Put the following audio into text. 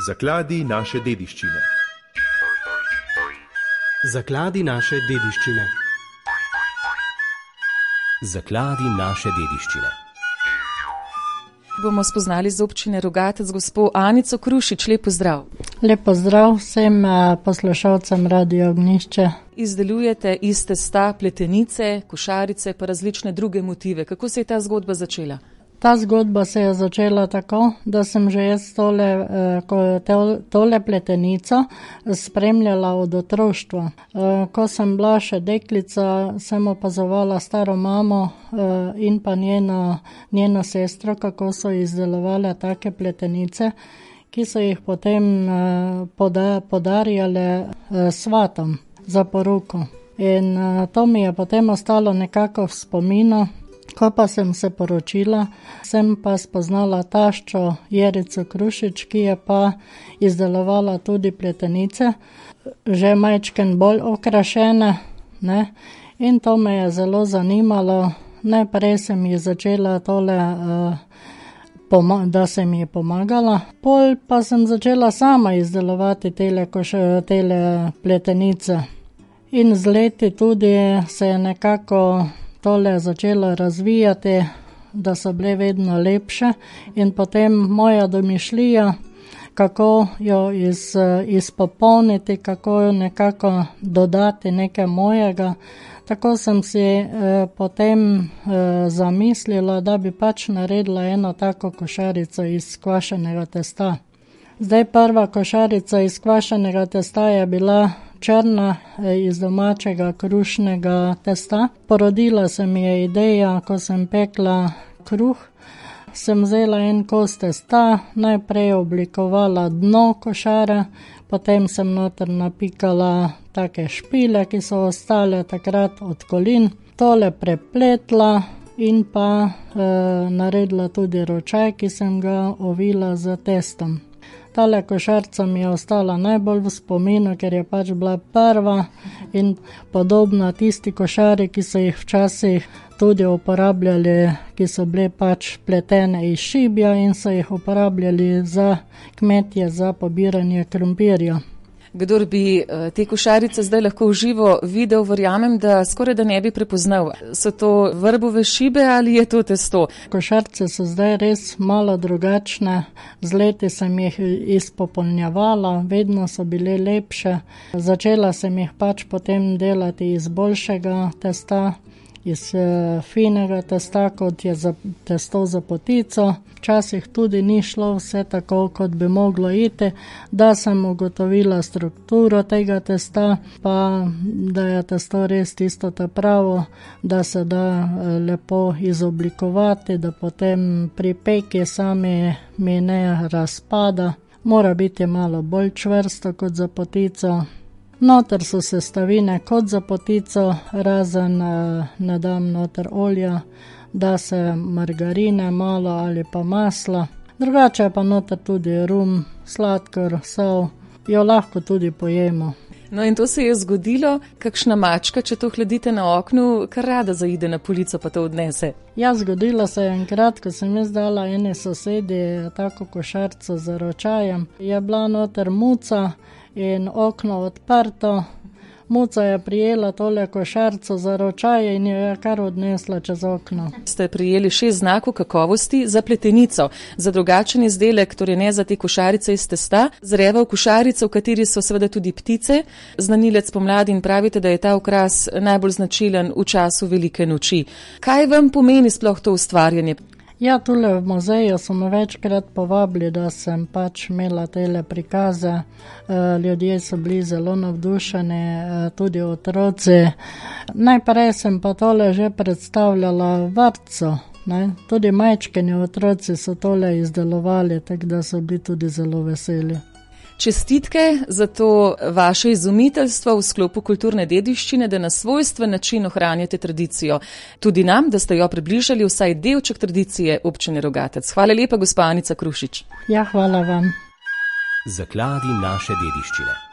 Zakladi naše dediščine. Zakladi naše dediščine. Zakladi naše dediščine. Bomo spoznali z občine Rogatec gospo Anico Krušič. Lep pozdrav. Lep pozdrav vsem poslušalcem Radio Ognjišče. Izdelujete iz testa pletenice, košarice pa različne druge motive. Kako se je ta zgodba začela? Ta zgodba se je začela tako, da sem že jaz tole pletenico spremljala od otroštva. Ko sem bila še deklica, sem opazovala staro mamo in pa njeno sestro, kako so izdelovali take pletenice, ki so jih potem podarjale svatom za poroko. In to mi je potem ostalo nekako v spominu. Ko pa sem se poročila, sem pa spoznala taščo Jerico Krušič, ki je pa izdelovala tudi pletenice, že majčken bolj okrašene, ne? In to me je zelo zanimalo. Najprej sem ji začela tole, da sem ji pomagala, pol pa sem začela sama izdelovati tele pletenice. In z leti tudi se je nekako tole začelo razvijati, da so bile vedno lepše in potem moja domišljija, kako jo izpopolniti, kako jo nekako dodati nekaj mojega. Tako sem si potem zamislila, da bi pač naredila eno tako košarico iz kvašenega testa. Zdaj prva košarica iz kvašenega testa je bila črna iz domačega krušnega testa. Porodila se mi je ideja, ko sem pekla kruh, sem vzela en kos testa, najprej oblikovala dno košare, potem sem noter napikala take špile, ki so ostale takrat od kolin, tole prepletla in pa naredila tudi ročaj, ki sem ga ovila z testom. Tale košarica mi je ostala najbolj v spominu, ker je pač bila prva in podobna tisti košari, ki so jih včasih tudi uporabljali, ki so bile pač pletene iz šibja in so jih uporabljali za kmetje za pobiranje krompirja. Kdor bi te košarice zdaj lahko v živo videl, verjamem, da skoraj da ne bi prepoznal. So to vrbove šibe ali je to testo? Košarice so zdaj res malo drugačne. Z leti sem jih izpopolnjevala, vedno so bile lepše. Začela sem jih pač potem delati iz boljšega testa, iz finega testa, kot je testo za potico. Včasih tudi ni šlo vse tako, kot bi moglo iti, da sem ugotovila strukturo tega testa, pa da je testo res tisto ta pravo, da se da lepo izoblikovati, da potem pri peki sami mi ne razpada. Mora biti malo bolj čvrsto kot za potico. Noter so sestavine kot za potico, razen ne dam noter olja, da se margarine malo ali pa masla. Drugače je pa noter tudi rum, sladkor, sol, jo lahko tudi pojemo. No in to se je zgodilo, kakšna mačka, če to hladite na oknu, kar rada zaide na polico pa to odnese. Ja, zgodilo se je enkrat, ko sem jaz dala ene sosedi tako košarico z ročajem. Je bila noter muca in okno odprto. Muca je prijela tole košarico za ročaje in jo je kar odnesla čez okno. Ste prijeli 6 znakov kakovosti za pletenico, za drugačen izdelek, torej ne za te košarice iz testa, zreval košarico, v kateri so seveda tudi ptice, znanilec pomladi in pravite, da je ta okras najbolj značilen v času velike noči. Kaj vam pomeni sploh to ustvarjanje? Ja, tule v muzeju so me večkrat povabili, da sem pač imela tele prikaze. Ljudje so bili zelo navdušeni, tudi otroci. Najprej sem pa tole že predstavljala vrtcu, ne? Tudi majčkeni otroci so tole izdelovali, tako da so bili tudi zelo veseli. Čestitke za to vaše izumiteljstvo v sklopu kulturne dediščine, da na svojstven način ohranjate tradicijo. Tudi nam, da ste jo približali vsaj delček tradicije občine Rogatec. Hvala lepa, gospa Anica Krušič. Ja, hvala vam. Zakladi naše dediščine.